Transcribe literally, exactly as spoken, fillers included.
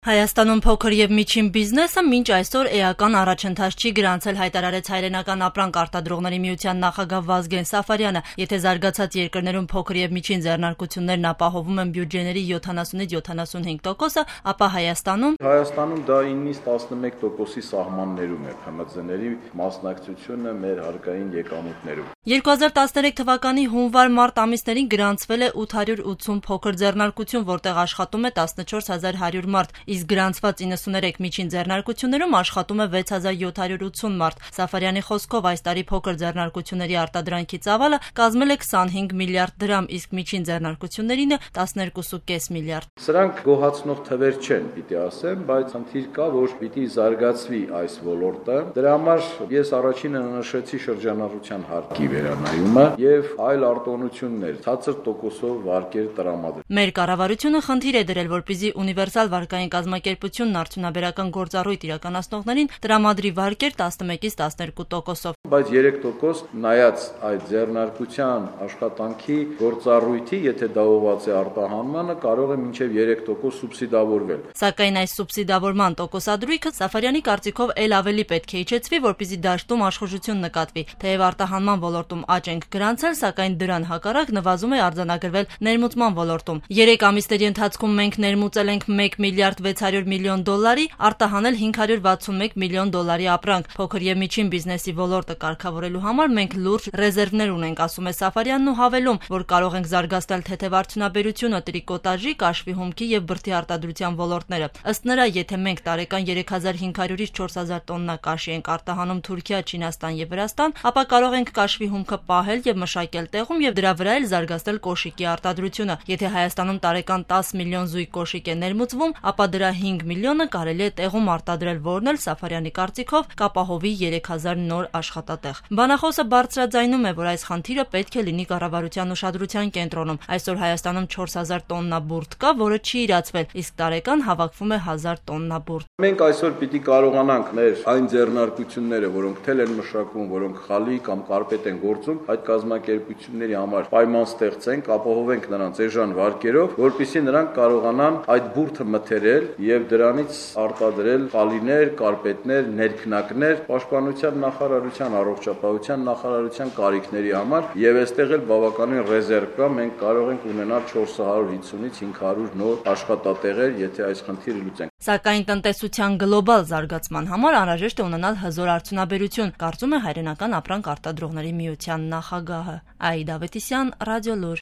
Հայաստանում փոքր եւ միջին բիզնեսը մինչ այսօր էական առաջընթաց չի գրանցել, հայտարարեց Հայրենական ապրանք արտադրողների միության նախագահ Վազգեն Սաֆարյանը։ Եթե զարգացած երկրներում փոքր եւ միջին ձեռնարկություններն ապահովում են բյուջեների յոթանասունից յոթանասունհինգ տոկոսը, ապա Հայաստանում Հայաստանում դա իննից տասնմեկ տոկոսի սահմաններում է Փ M Z-ների մասնակցությունը մեր հարկային եկամուտներում։ երկու հազար տասներեք թվականի հունվար-մարտ ամիսներին գրանցվել է ութ հարյուր ութսուն փոքր ձեռնարկություն, որտեղ աշխատում է տասնչորս հազար հարյուր մարդ, իսկ գրանցված իննսուներեք միջին ձեռնարկություններում աշխատում է վեց հազար յոթ հարյուր ութսուն մարդ։ Սաֆարյանի խոսքով այս տարի փոքր ձեռնարկությունների արտադրանքի ծավալը կազմել է քսանհինգ միլիարդ դրամ, իսկ միջին ձեռնարկություններինը տասներկու կես միլիարդ։ Սրանք գոհացնող թվեր չեն, պիտի ասեմ, բայց խնդիր կա, որ պիտի զարգացվի այս ոլորտը։ Դրա համար ես առաջինը նշեցի շրջանառության հարկի վերանայումը եւ այլ արտոնություններ, ցածր տոկոսով վարկեր տրամադրել։ Մեր կառավարությունը խնդիր է դրել, որպեսզի ունիվերսալ վարկային կազմակերպությունն արդյունաբերական գործառույթ իրականացնողներին տրամադրի վարկեր տասնմեկից տասներկու տոկոսով։ Բայց երեք տոկոս նայած այդ ձեռնարկության աշխատանքի գործառույթի, եթե դա ուղղված է արտահանմանը, կարող է մինչև երեք տոկոս սուբսիդավորվել։ Սակայն այս սուբսիդավորման տոկոսադրույքը Սաֆարյանի կարծիքով էլ ավելի պետք է իջեցվի, որպեսզի դաշտում աշխուժություն նկատվի։ Թեև արտահանման ոլորտում աճ ենք գրանցել, սակայն դրան հակառակ նվազում է արձանագրվել ներմուծման ոլորտում։ Երեք ամիսների ընթացքում մենք ներմուծել ենք մեկ միլիարդ վեց հարյուր միլիոն դոլարի, արտահանել հինգ հարյուր վաթսունմեկ միլիոն դոլարի ապրանք։ Փոքր եւ միջին բիզնեսի ոլորտը կարգավորելու համար մենք լուրջ ռեզերվներ ունենք, ասում է Սաֆարյանն ու հավելում, որ կարող ենք զարգացնել թեթև արդյունաբերությունը, տրիկոտաժի, կաշվի հումքի եւ բրդի արտադրության ոլորտները։ Ըստ նրա, եթե մենք տարեկան երեք հազար հինգ հարյուրից չորս հազար տոննա կաշի ենք արտահանում Թուրքիա, Չինաստան եւ Վրաստան, ապա կարող ենք կաշվի հումքը պահել եւ մշակել տեղում եւ դրա վրա էլ զարգացնել կոշիկի արտադրությունը։ Եթե Հայաստանում տարեկան տասը միլիոն զույգ կոշիկ է ներմուծվում, ապա դրա հինգ միլիոնը կարելի է տեղում արտադրել, որն էլ Սաֆարյանի կարծիքով կապահովի երեք հազար նոր աշխատատեղ։ Բանախոսը բարձրաձայնում է, որ այս խնդիրը պետք է լինի կառավարության ուշադրության կենտրոնում։ Այսօր Հայաստանում չորս հազար տոննա բուրդ կա, որը չի իրացվել, իսկ տարեկան հավաքվում է հազար տոննա բուրդ։ Մենք այսօր պիտի կարողանանք մեր այն ձեռնարկությունները, որոնք թել են մշակվում, որոնք խալի կամ կարպետ են գործում, այդ կազմակերպությունների համար պայման ստեղծենք, ապահովենք նրանց էժան վարկերով, որպեսզի նրանք կարողանան այդ բուրդը մթերել եւ դրանից արտադրել խալիներ, կարպետներ, ներքնակներ պաշտպանության նախարարության, առողջապահության նախարարության կարիքների համար եւ այստեղ էլ բավականին ռեզերվ կա, մենք կարող ենք ունենալ չորս հարյուր հիսունից հինգ հարյուր նոր աշխատատեղեր, եթե այս խնդիրը լուծենք։ Սակայն տնտեսության գլոբալ զարգացման համար անհրաժեշտ է ունենալ հզոր արդյունաբերություն, կարծում է Հայրենական ապրանք արտադրողների միության նախագահը Աիդա Ավետիսյան, Ռադիոլուր։